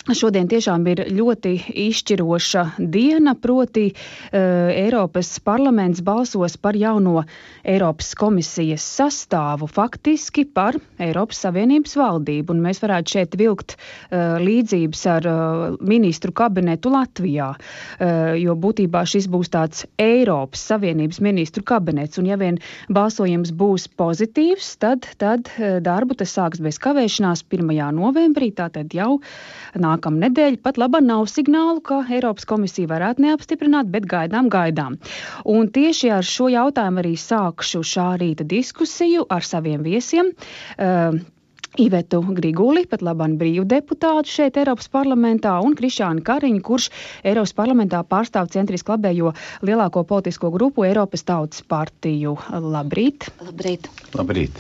Šodien tiešām ir ļoti izšķiroša diena, proti Eiropas parlaments balsos par jauno Eiropas komisijas sastāvu, faktiski par Eiropas Savienības valdību. Un mēs varētu šeit vilkt līdzības ar ministru kabinetu Latvijā, jo būtībā šis būs tāds Eiropas Savienības ministru kabinets. Un ja vien balsojums būs pozitīvs, tad darbu tas sāks bez kavēšanās 1. novembrī, tātad jau nākamnedēļ. Pat labā nav signālu, ka Eiropas komisija varētu neapstiprināt, bet gaidām. Un tieši ar šo jautājumu arī sākšu šā rīta diskusiju ar saviem viesiem. Ivetu Griguli, pat labāk brīvdeputātu šeit Eiropas parlamentā, un Krišānu Kariņu, kurš Eiropas parlamentā pārstāv centriski labējo lielāko politisko grupu Eiropas Tautas partiju. Labrīt! Labrīt!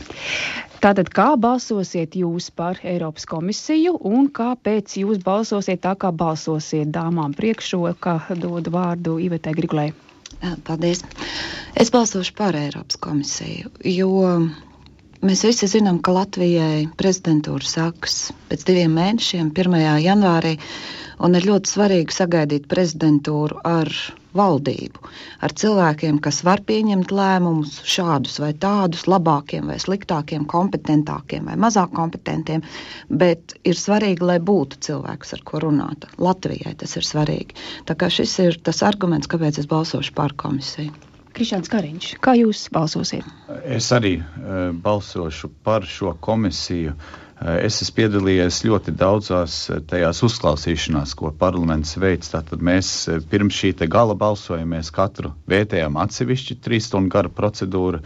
Tātad, kā balsosiet jūs par Eiropas komisiju un kāpēc jūs balsosiet tā, kā balsosiet? Dāmām priekšroka, dodu vārdu Ivetai Grigulai. Paldies! Es balsošu par Eiropas komisiju, jo mēs visi zinām, ka Latvijai prezidentūra sākas pēc 2 mēnešiem, 1. janvārī, un ir ļoti svarīgi sagaidīt prezidentūru ar valdību, ar cilvēkiem, kas var pieņemt lēmumus šādus vai tādus, labākiem vai sliktākiem, kompetentākiem vai mazāk kompetentiem, bet ir svarīgi, lai būtu cilvēks, ar ko runāt. Latvijai tas ir svarīgi. Tā kā šis ir tas arguments, kāpēc es balsošu par komisiju. Krišāns Kariņš, kā jūs balsosiet? Es arī balsošu par šo komisiju. Es esmu piedalījies ļoti daudzās tajās uzklausīšanās, ko parlaments veic. Tātad mēs pirms šī te gala balsojamies katru vērtējām atsevišķi 3 stundu gara procedūra,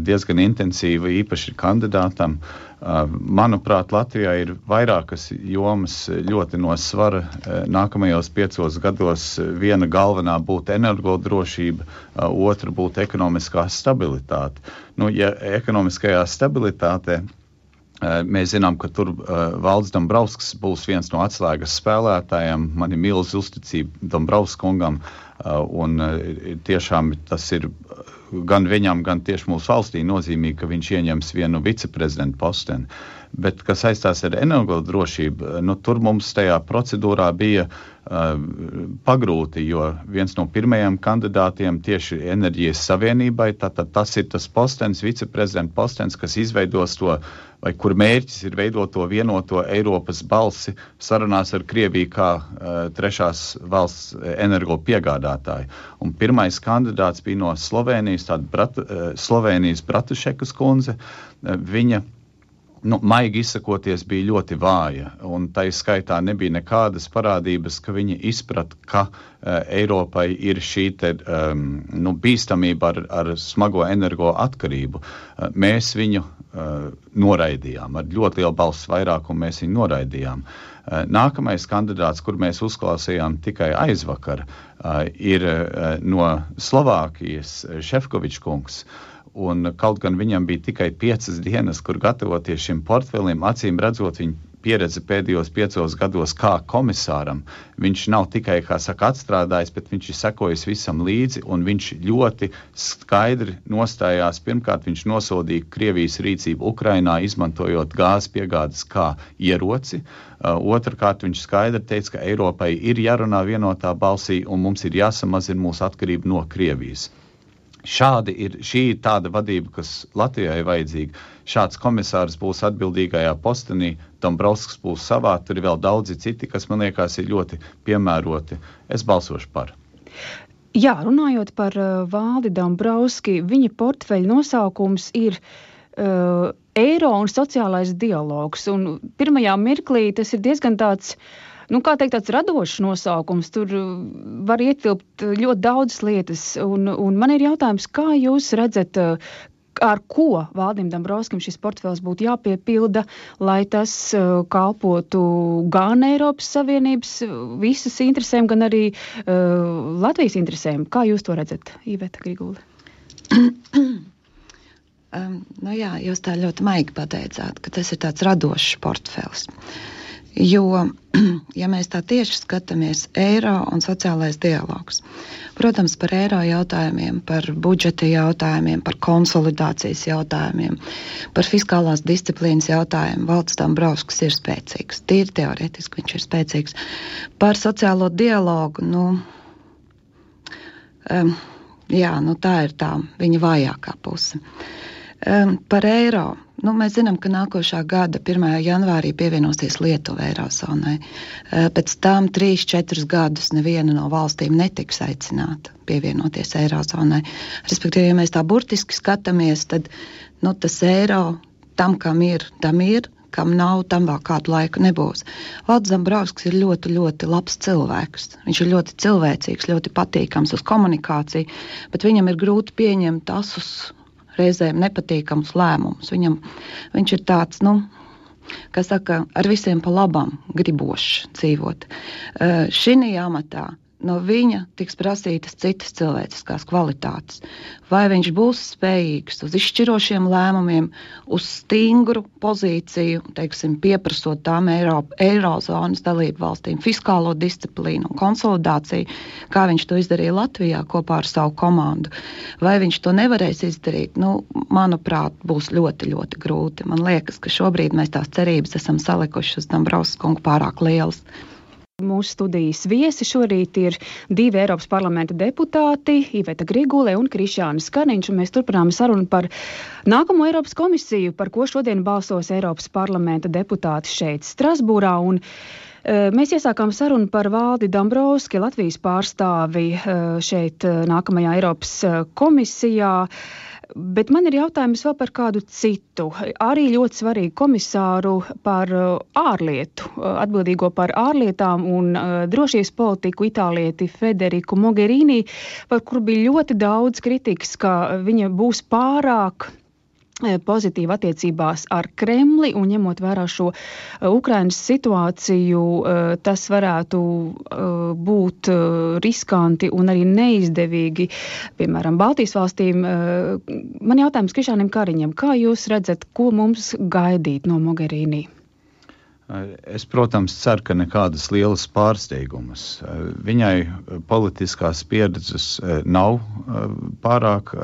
diezgan intensīva, īpaši kandidātam. Manuprāt, Latvijā ir vairākas jomas ļoti no svara. Nākamajos 5 gados viena galvenā būtu energodrošība, otra būtu ekonomiskā stabilitāte. Ja ekonomiskajā stabilitātē mēs zinām, ka tur Valdis Dombrovskis būs viens no atslēgas spēlētājiem. Man ir milz uzticība Dombrovskungam, un tiešām tas ir gan viņam, gan tieši mūsu valstī nozīmīgi, ka viņš ieņems vienu viceprezidentu posteni. Bet, kas saistās ar energodrošību, tur mums tajā procedūrā bija pagrūti, jo viens no pirmajiem kandidātiem tieši enerģijas savienībai, tātad tas ir tas postens, viceprezidenta postens, kas izveidos to, vai kur mērķis ir veidot to vienoto Eiropas balsi sarunās ar Krieviju kā trešās valsts energo piegādātāju. Un pirmais kandidāts bija no Slovēnijas, Slovēnijas Bratušekas kundze. Viņa maigi izsakoties, bija ļoti vāja, un tai skaitā nebija nekādas parādības, ka viņi izprat, ka Eiropai ir šī bīstamība ar smago energo atkarību. Mēs viņu noraidījām, ar ļoti lielu balsu vairākumu mēs viņu noraidījām. Nākamais kandidāts, kur mēs uzklausījām tikai aizvakar, ir no Slovākijas Šefkovičs kungs. Un kaut gan viņam bija tikai 5 dienas, kur gatavoties šim portfelim, acīm redzot viņa pieredze pēdējos 5 gados kā komisāram. Viņš nav tikai, kā saka, atstrādājis, bet viņš ir sekojis visam līdzi, un viņš ļoti skaidri nostājās. Pirmkārt, viņš nosodīja Krievijas rīcību Ukrainā, izmantojot gāzes piegādes kā ieroci. Otrkārt, viņš skaidri teica, ka Eiropai ir jārunā vienotā balsī, un mums ir jāsamazina mūsu atkarība no Krievijas. Šī ir tāda vadība, kas Latvijai vajadzīga. Šāds komisārs būs atbildīgajā postenī, Dombrovskis būs savā, tur ir vēl daudzi citi, kas man liekas ir ļoti piemēroti. Es balsošu par. Jā, runājot par Valdi Dombrovski, viņa portfeļa nosaukums ir Eiro un sociālais dialogs. Un pirmajā mirklī tas ir diezgan tāds, tāds radošs nosaukums. Tur var ietilpt ļoti daudzas lietas. Un man ir jautājums, kā jūs redzat, ar ko Valdim Dombrovskim šis portfels būtu jāpiepilda, lai tas kalpotu gan Eiropas Savienības visas interesēm, gan arī Latvijas interesēm. Kā jūs to redzat, Iveta Grigule? Jūs tā ļoti maigi pateicāt, ka tas ir tāds radošs portfels. Jo, ja mēs tā tieši skatāmies, eiro un sociālais dialogs, protams, par eiro jautājumiem, par budžeta jautājumiem, par konsolidācijas jautājumiem, par fiskālās disciplīnas jautājumiem, Valdis Dombrovskis ir spēcīgs. Tīri teorētiski viņš ir spēcīgs. Par sociālo dialogu, tā ir tā viņa vājākā puse. Par eiro. Mēs zinām, ka nākošā gada 1. janvārī pievienosies Lietuva Eirozonai. Pēc tam 3-4 gadus neviena no valstīm netiks aicināta pievienoties Eirozonai. Respektīvi, ja mēs tā burtiski skatāmies, tad tas eiro tam, kam ir, kam nav, tam vēl kādu laiku nebūs. Valdis Dombrovskis ir ļoti, ļoti labs cilvēks. Viņš ir ļoti cilvēcīgs, ļoti patīkams uz komunikāciju, bet viņam ir grūti pieņemt asus reizēm nepatīkams lēmums. Viņš ir tāds, ar visiem pa labam gribošs dzīvot. Šī amatā no viņa tiks prasītas citas cilvēciskās kvalitātes. Vai viņš būs spējīgs uz izšķirošiem lēmumiem, uz stingru pozīciju, pieprasot tām Eirozonas dalību valstīm fiskālo disciplīnu un konsolidāciju, kā viņš to izdarīja Latvijā kopā ar savu komandu. Vai viņš to nevarēs izdarīt? Manuprāt, būs ļoti, ļoti grūti. Man liekas, ka šobrīd mēs tās cerības esam salikuši uz Dombrovskis kungu pārāk lielas. Mūsu studijas viesi šorīt ir 2 Eiropas parlamenta deputāti, Iveta Grigule un Krišjānis Kariņš, un mēs turpinām sarunu par nākamo Eiropas komisiju, par ko šodien balsos Eiropas parlamenta deputāti šeit Strasbūrā, un mēs iesākām sarunu par Valdi Dombrovski, Latvijas pārstāvi šeit nākamajā Eiropas komisijā. Bet man ir jautājums vēl par kādu citu, arī ļoti svarīgu komisāru par ārlietu, atbildīgo par ārlietām un drošības politiku itālieti Federiku Mogherini, par kuru bija ļoti daudz kritikas, ka viņa būs pārāk pozitīva attiecībās ar Kremli, un ņemot vērā šo Ukrainas situāciju, tas varētu būt riskanti un arī neizdevīgi, piemēram, Baltijas valstīm. Man jautājums Krišjānim Kariņam, kā jūs redzat, ko mums gaidīt no Mogherini? Es, protams, ceru, ka nekādas lielas pārsteigumas. Viņai politiskās pieredzes nav pārāk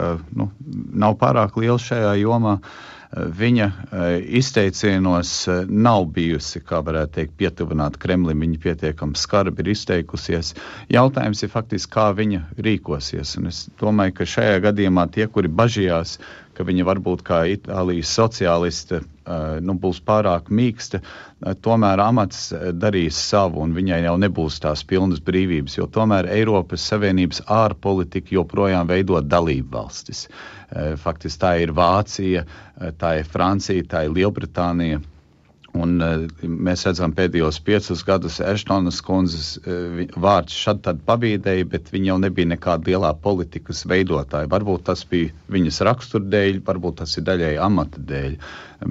liela šajā jomā. Viņa izteicienos nav bijusi, kā varētu teikt, pietuvināta Kremlim. Viņa pietiekami skarbi ir izteikusies. Jautājums ir faktiski, kā viņa rīkosies. Un es domāju, ka šajā gadījumā tie, kuri bažījās, ka viņa varbūt kā Itālijas sociāliste būs pārāk mīksta, tomēr amats darīs savu, un viņai jau nebūs tās pilnas brīvības, jo tomēr Eiropas Savienības ārpolitika joprojām veido dalību valstis. Faktiski tā ir Vācija, tā ir Francija, tā ir Lielbritānija. Un mēs redzam pēdējos 5 gadus Eštonas kundzes vārds šad tad pabīdēja, bet viņa jau nebija nekāda lielā politikas veidotāja. Varbūt tas bija viņas rakstura dēļ, varbūt tas ir daļai amata dēļ.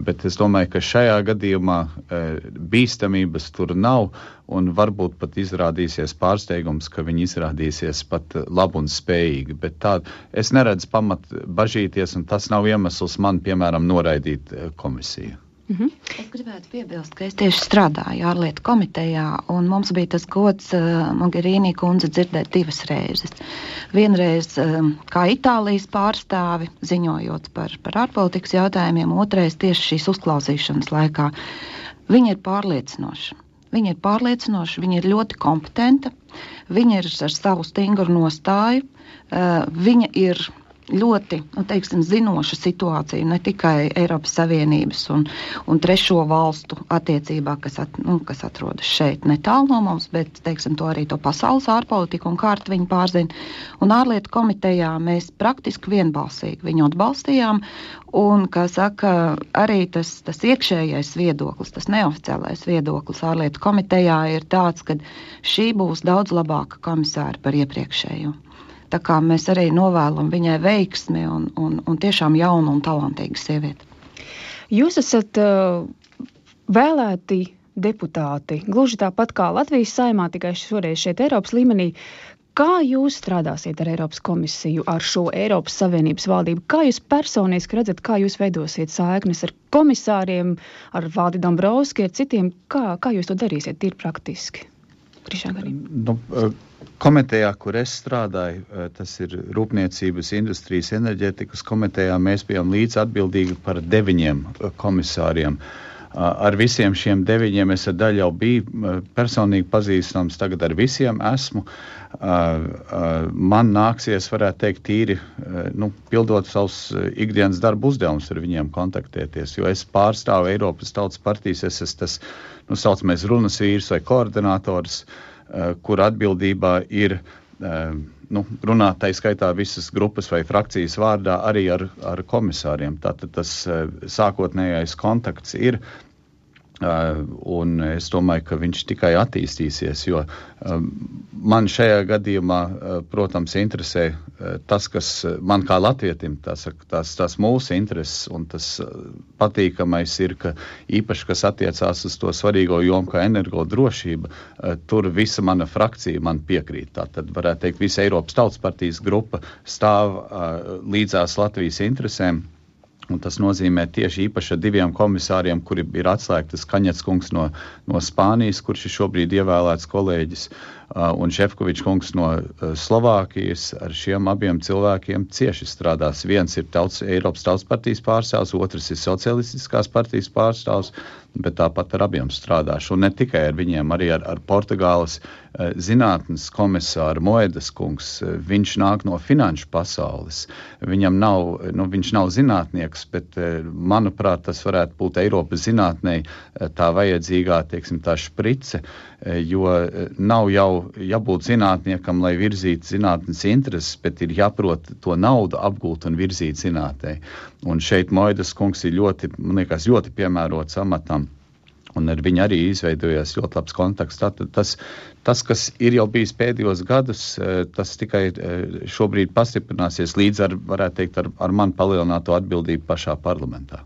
Bet es domāju, ka šajā gadījumā bīstamības tur nav, un varbūt pat izrādīsies pārsteigums, ka viņi izrādīsies pat labi un spējīgi. Bet tā, es neredzu pamat bažīties, un tas nav iemesls man, piemēram, noraidīt komisiju. Es gribētu piebilst, ka es tieši strādāju ārlietu komitejā, un mums bija tas gods Mogherini kundze dzirdēt 2 reizes. Vienreiz kā Itālijas pārstāvi, ziņojot par ārpolitikas jautājumiem, otrais tieši šīs uzklausīšanas laikā. Viņa ir pārliecinoša. Viņa ir ļoti kompetenta, viņa ir ar savu stingru nostāju, viņa ir ļoti, zinoša situācija ne tikai Eiropas Savienības un trešo valstu attiecībā, kas atrodas šeit netālu no mums, bet, to pasaules ārpolitiku un kārtu viņi pārzina. Un ārlietu komitejā mēs praktiski vienbalsīgi viņu atbalstījām, un, kā saka, arī tas iekšējais viedoklis, tas neoficiālais viedoklis ārlietu komitejā ir tāds, ka šī būs daudz labāka komisāra par iepriekšējo. Tā kā mēs arī novēlam viņai veiksmi un tiešām jaunu un talantīgu sievieti. Jūs esat vēlēti deputāti, gluži tāpat kā Latvijas Saeimā, tikai šoreiz šeit Eiropas līmenī. Kā jūs strādāsiet ar Eiropas komisiju, ar šo Eiropas Savienības valdību? Kā jūs personiski redzat, kā jūs veidosiet saiknes ar komisāriem, ar Valdi Dombrovski, ar citiem? Kā jūs to darīsiet tīri praktiski? Komitejā, kur es strādāju, tas ir Rūpniecības, Industrijas, Enerģētikas komitejā, mēs bijām līdz atbildīgi par 9 komisāriem. Ar visiem šiem 9 es ar daļu jau biju personīgi pazīstams, tagad ar visiem esmu. Man nāksies, varētu teikt, tīri, pildot savus ikdienas darbu uzdevumus ar viņiem kontaktēties, jo es pārstāvu Eiropas Tautas partijas, es esmu tas, saucamais runas vīrs vai koordinators, kur atbildībā ir runāt, tā skaitā visas grupas vai frakcijas vārdā arī ar komisāriem. Tātad tas sākotnējais kontakts ir, un es domāju, ka viņš tikai attīstīsies, jo man šajā gadījumā, protams, interesē tas, kas man kā latvietim, tās mūsu intereses, un tas patīkamais ir, ka īpaši, kas attiecās uz to svarīgo jomu kā energodrošība, tur visa mana frakcija man piekrīt. Tātad varētu teikt, visa Eiropas Tautas partijas grupa stāv līdzās Latvijas interesēm. Un tas nozīmē tieši īpaši ar 2 komisāriem, kuri ir atslēgtas Kaņets kungs no Spānijas, kurš ir šobrīd ievēlēts kolēģis, un Šefkovičs kungs no Slovākijas. Ar šiem abiem cilvēkiem cieši strādās. Viens ir Eiropas Tautas partijas pārstāvs, otrs ir Socialistiskās partijas pārstāvs, bet tāpat ar abiem strādāšu. Un ne tikai ar viņiem, arī ar Portugāles zinātnes komisāru Moedas kungs. Viņš nāk no finanšu pasaules. Viņam viņš nav zinātnieks, bet, manuprāt, tas varētu būt Eiropas zinātnei tā vajadzīgā, tā šprice, jo nav jau jābūt zinātniekam, lai virzītu zinātnes intereses, bet ir jāprot to naudu apgūt un virzīt zinātnei. Un šeit Moedas kungs ir ļoti piemērots amatam. Un ar viņu arī izveidojās ļoti labs kontakts. Tātad tas, kas ir jau bijis pēdējos gadus, tas tikai šobrīd pastiprināsies līdz ar man palielināto atbildību pašā parlamentā.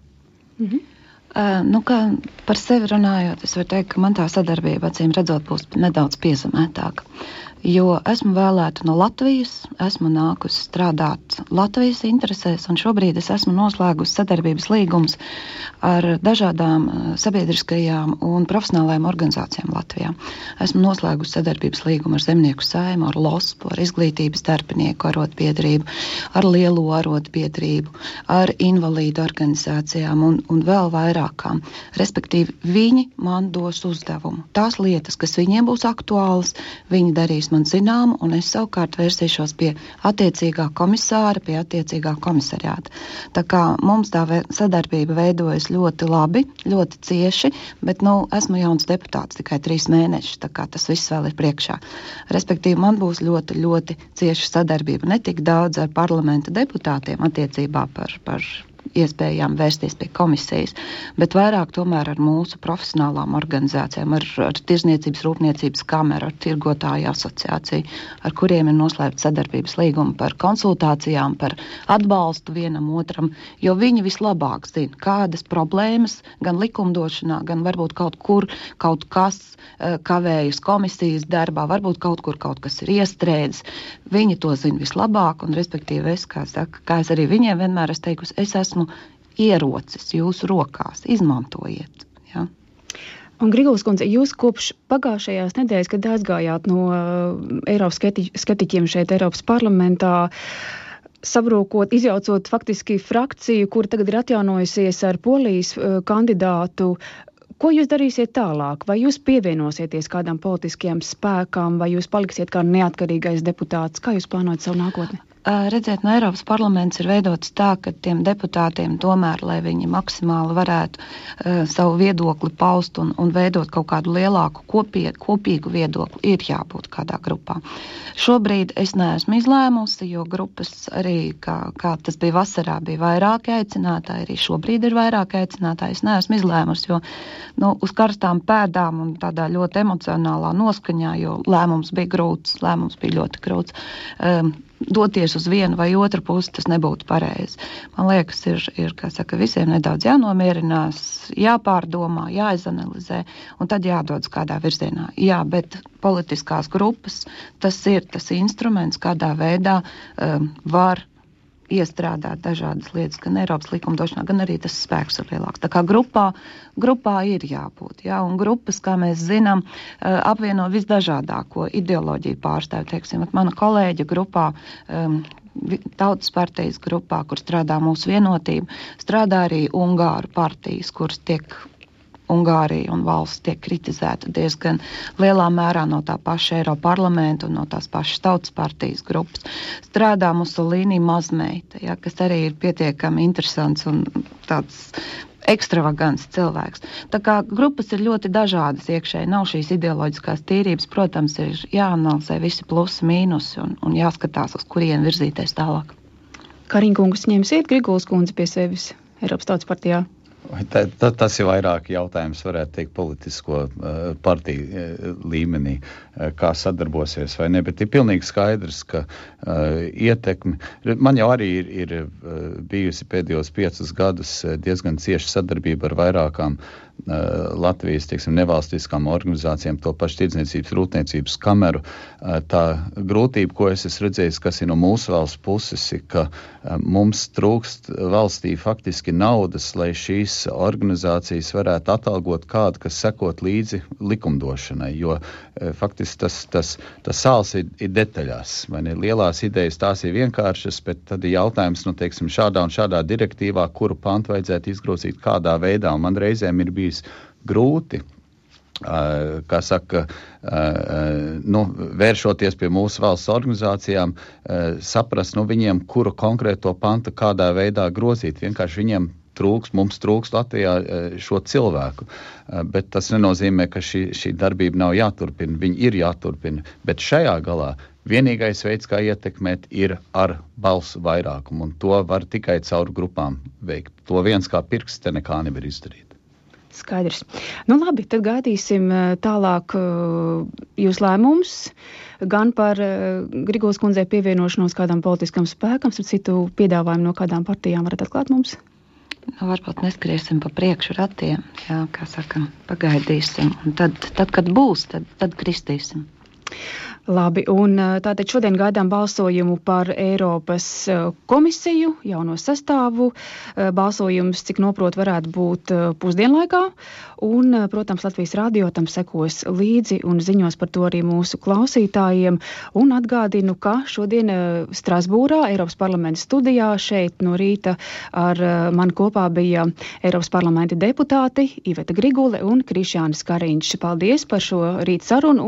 Kā par sevi runājot, es varu teikt, ka man tā sadarbība, acīm redzot, būs nedaudz piezemētāka. Jo esmu vēlēta no Latvijas, esmu nākusi strādāt Latvijas interesēs, un šobrīd es esmu noslēgusi sadarbības līgumus ar dažādām sabiedriskajām un profesionālajām organizācijām Latvijā. Esmu noslēgusi sadarbības līgumu ar Zemnieku saimu, ar LOSPU, ar Izglītības darbinieku arotbiedrību, ar Lielo arotbiedrību, ar invalīdu organizācijām un vēl vairākām. Respektīvi, viņi man dos uzdevumu. Tās lietas, kas viņiem būs aktuālas, viņi darīs man zinām, un es savukārt vērsīšos pie attiecīgā komisāra, pie attiecīgā komisariāta. Tā kā mums tā sadarbība veidojas ļoti labi, ļoti cieši, bet, esmu jauns deputāts, tikai 3 mēneši, tā kā tas viss vēl ir priekšā. Respektīvi, man būs ļoti, ļoti cieša sadarbība, ne tik daudz ar parlamenta deputātiem attiecībā par iespējām vērsties pie komisijas, bet vairāk tomēr ar mūsu profesionālām organizācijām, ar Tirzniecības rūpniecības kameru, ar tirgotāju asociāciju, ar kuriem ir noslēgta sadarbības līguma par konsultācijām, par atbalstu vienam otram, jo viņi vislabāk zina, kādas problēmas gan likumdošanā, gan varbūt kaut kas kavējas komisijas darbā, varbūt kaut kas ir iestrēdzis. Viņi to zina vislabāk, un respektīvi es, kā es arī viņiem vienmēr esmu teikusi, es esmu ierocis jūsu rokās, izmantojiet. Ja? Un Griguls kundze, jūs kopš pagājušajās nedēļas, kad aizgājāt no Eiropas skeptiķiem šeit Eiropas parlamentā, sabrūkot, izjaucot faktiski frakciju, kur tagad ir atjaunojusies ar Polijas kandidātu, ko jūs darīsiet tālāk? Vai jūs pievienosieties kādam politiskajam spēkam, vai jūs paliksiet kā neatkarīgais deputāts? Kā jūs plānojat savu nākotni? Redziet, no Eiropas parlaments ir veidots tā, ka tiem deputātiem tomēr, lai viņi maksimāli varētu savu viedokli paust un veidot kaut kādu lielāku kopīgu viedokli, ir jābūt kādā grupā. Šobrīd es neesmu izlēmusi, jo grupas arī, kā tas bija vasarā, bija vairāki aicinātāji, arī šobrīd ir vairāki aicinātāji. Es neesmu izlēmusi, jo uz karstām pēdām un tādā ļoti emocionālā noskaņā, jo lēmums bija grūts, lēmums bija ļoti grūts. doties uz vienu vai otru pusi, tas nebūtu pareizi. Man liekas, ir kā saka, visiem nedaudz jānomierinās, jāpārdomā, jāizanalizē, un tad jādodas kādā virzienā. Jā, bet politiskās grupas, tas ir tas instruments, kādā veidā var iestrādāt dažādas lietas, gan Eiropas likumdošanā, gan arī tas spēks ir lielāks. Tā kā grupā ir jābūt, jā, un grupas, kā mēs zinām, apvieno visdažādāko ideoloģiju pārstāvi, teiksim, mana kolēģa grupā, Tautas partijas grupā, kur strādā mūsu vienotība, strādā arī Ungāru partijas, kuras tiek Ungārija un valsts tiek kritizēta diezgan lielā mērā no tā paša Eiroparlamenta un no tās pašas Tautas partijas grupas. Strādā Musolīni mazmeita, ja, kas arī ir pietiekami interesants un tāds ekstravagants cilvēks. Tā kā grupas ir ļoti dažādas iekšēji, nav šīs ideoloģiskās tīrības, protams, ir jāanalizē visi plusi, mīnusi un jāskatās, uz kurien virzīties tālāk. Kariņkungs ņemsiet Grigulas kundzi pie sevis Eiropas Tautas partijā? Tas ir vairāk jautājums, varētu teikt, politisko partiju līmenī, kā sadarbosies vai ne, bet ir pilnīgi skaidrs, ka ietekmi, man jau arī ir bijusi pēdējos 5 gadus diezgan cieša sadarbība ar vairākām Latvijas, teiksim, nevalstiskām organizācijām, to pašu tirdzniecības rūpniecības kameru. Tā grūtība, ko es esmu redzējis, kas ir no mūsu valsts puses, ir, ka mums trūkst valstī faktiski naudas, lai šīs organizācijas varētu atalgot kādu, kas sekot līdzi likumdošanai, jo faktiski tas sāls ir detaļās. Lielās idejas tās ir vienkāršas, bet tad ir jautājums, teiksim, šādā un šādā direktīvā, kuru pantu vajadzētu izgrozīt kādā veidā, un man reizēm ir bijis grūti, kā saka, vēršoties pie mūsu valsts organizācijām, saprast viņiem, kuru konkrēto pantu kādā veidā grozīt. Vienkārši viņiem mums trūks Latvijā šo cilvēku, bet tas nenozīmē, ka šī darbība nav jāturpina, viņi ir jāturpina, bet šajā galā vienīgais veids, kā ietekmēt, ir ar balsu vairākumu, un to var tikai caur grupām veikt. To viens kā pirksts te nekā nevar izdarīt. Skaidrs. Nu labi, tad gaidīsim tālāk jūs lēmums gan par Grigulas kundzei pievienošanos kādam politiskam spēkam, ar citu piedāvājumu no kādām partijām varat atklāt mums? Varbūt neskriesim pa priekšu ratiem, jā, kā saka, pagaidīsim, un tad kad būs, tad kristīsim. Labi, un tātad šodien gaidām balsojumu par Eiropas komisiju, jauno sastāvu. Balsojums, cik noprot, varētu būt pusdienlaikā, un, protams, Latvijas radio tam sekos līdzi un ziņos par to arī mūsu klausītājiem. Un atgādinu, ka šodien Strasbūrā, Eiropas parlamenta studijā, šeit no rīta ar mani kopā bija Eiropas parlamenta deputāti Iveta Grigule un Krišjānis Kariņš. Paldies par šo rīt sarunu.